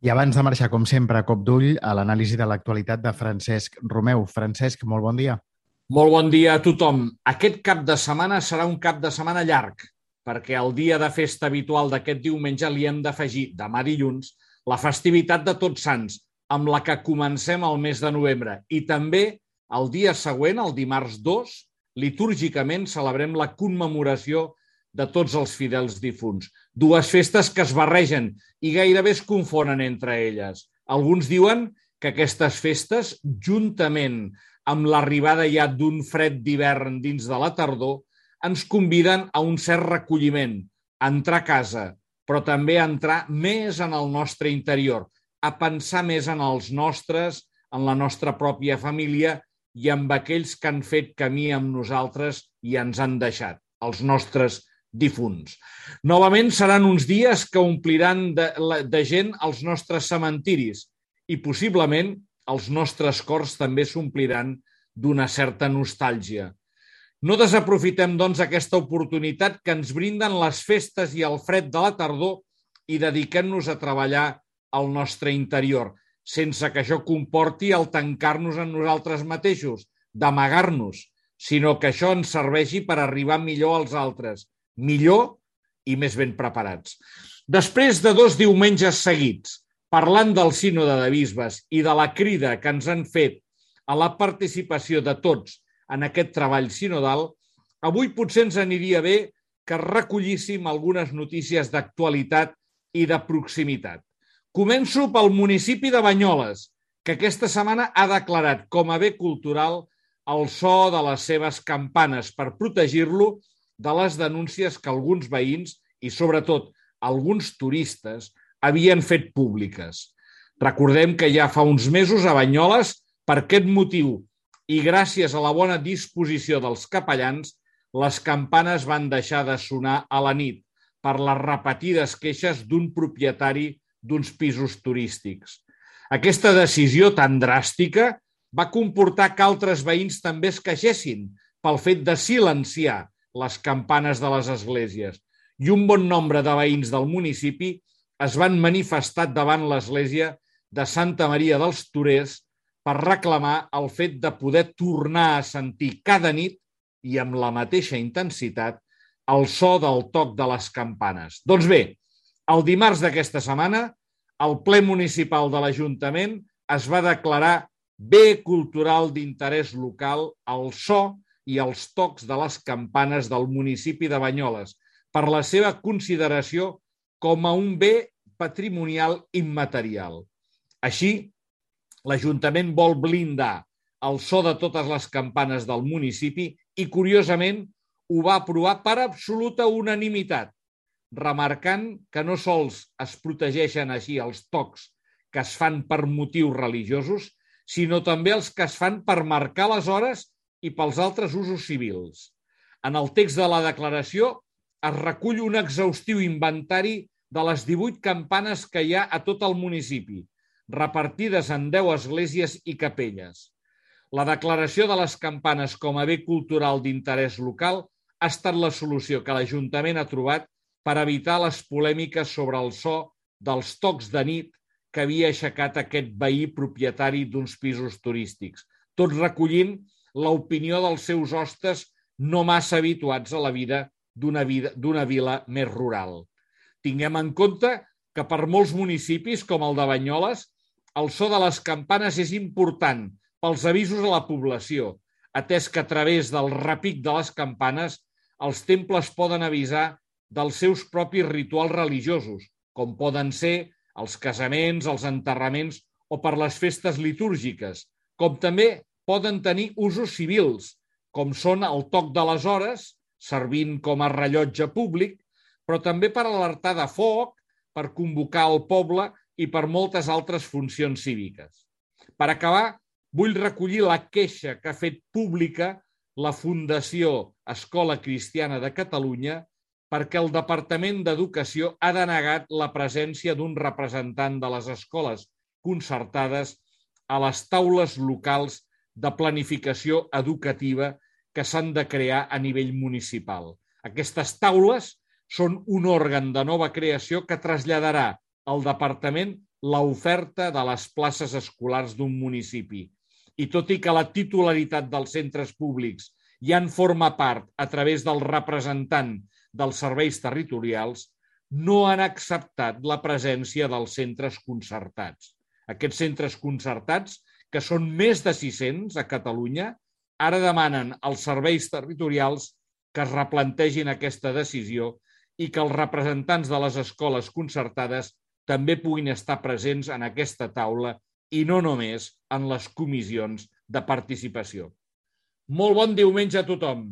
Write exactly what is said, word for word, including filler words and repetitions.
I abans de marxar, com sempre, a cop d'ull a l'anàlisi de l'actualitat de Francesc Romeu. Francesc, molt bon dia. Molt bon dia a tothom. Aquest cap de setmana serà un cap de setmana llarg, perquè el dia de festa habitual d'aquest diumenge li hem d'afegir, demà dilluns, la festivitat de Tots Sants, amb la que comencem el mes de novembre. I també el dia següent, el dimarts dos, litúrgicament celebrem la commemoració de tots els fidels difunts. Dues festes que es barregen i gairebé es confonen entre elles. Alguns diuen que aquestes festes, juntament amb l'arribada ja d'un fred d'hivern dins de la tardor, ens conviden a un cert recolliment, a entrar a casa, però també a entrar més en el nostre interior, a pensar més en els nostres, en la nostra pròpia família i amb aquells que han fet camí amb nosaltres i ens han deixat, els nostres difunts. Novament seran uns dies que ompliran de, de gent els nostres cementiris i possiblement els nostres cors també s'ompliran d'una certa nostàlgia. No desaprofitem, doncs, aquesta oportunitat que ens brinden les festes i el fred de la tardor i dediquem-nos a treballar al nostre interior, sense que això comporti el tancar-nos en nosaltres mateixos, d'amagar-nos, sinó que això ens serveixi per arribar millor als altres, millor i més ben preparats. Després de dos diumenges seguits, parlant del sínode de bisbes i de la crida que ens han fet a la participació de tots en aquest treball sinodal, avui potser ens aniria bé que recollíssim algunes notícies d'actualitat i de proximitat. Començo pel municipi de Banyoles, que aquesta setmana ha declarat com a bé cultural el so de les seves campanes per protegir-lo de les denúncies que alguns veïns i, sobretot, alguns turistes havien fet públiques. Recordem que ja fa uns mesos a Banyoles, per aquest motiu i gràcies a la bona disposició dels capellans, les campanes van deixar de sonar a la nit per les repetides queixes d'un propietari d'uns pisos turístics. Aquesta decisió tan dràstica va comportar que altres veïns també es queixessin pel fet de silenciar les campanes de les esglésies i un bon nombre de veïns del municipi es van manifestar davant l'església de Santa Maria dels Torers per reclamar el fet de poder tornar a sentir cada nit i amb la mateixa intensitat el so del toc de les campanes. Doncs bé, el dimarts d'aquesta setmana, el ple municipal de l'Ajuntament es va declarar bé cultural d'interès local el so i els tocs de les campanes del municipi de Banyoles per la seva consideració com a un bé patrimonial immaterial. Així, l'Ajuntament vol blindar el so de totes les campanes del municipi i, curiosament, ho va aprovar per absoluta unanimitat, remarcant que no sols es protegeixen així els tocs que es fan per motius religiosos, sinó també els que es fan per marcar les hores i pels altres usos civils. En el text de la declaració es recull un exhaustiu inventari de les divuit campanes que hi ha a tot el municipi, repartides en deu esglésies i capelles. La declaració de les campanes com a bé cultural d'interès local ha estat la solució que l'Ajuntament ha trobat per evitar les polèmiques sobre el so dels tocs de nit que havia aixecat aquest veí propietari d'uns pisos turístics, tot recollint l'opinió dels seus hostes no massa habituats a la vida d'una d'una vila més rural. Tinguem en compte que per molts municipis, com el de Banyoles, el so de les campanes és important pels avisos a la població, atès que a través del repic de les campanes els temples poden avisar dels seus propis rituals religiosos, com poden ser els casaments, els enterraments o per les festes litúrgiques, com també poden tenir usos civils, com són el toc de les hores, servint com a rellotge públic, però també per alertar de foc, per convocar el poble i per moltes altres funcions cíviques. Per acabar, vull recollir la queixa que ha fet pública la Fundació Escola Cristiana de Catalunya perquè el Departament d'Educació ha denegat la presència d'un representant de les escoles concertades a les taules locals de planificació educativa que s'han de crear a nivell municipal. Aquestes taules són un òrgan de nova creació que traslladarà al Departament l'oferta de les places escolars d'un municipi. I tot i que la titularitat dels centres públics ja en forma part a través del representant dels serveis territorials, no han acceptat la presència dels centres concertats. Aquests centres concertats, que són més de sis-cents a Catalunya, ara demanen als serveis territorials que es replantegin aquesta decisió i que els representants de les escoles concertades també puguin estar presents en aquesta taula i no només en les comissions de participació. Molt bon diumenge a tothom!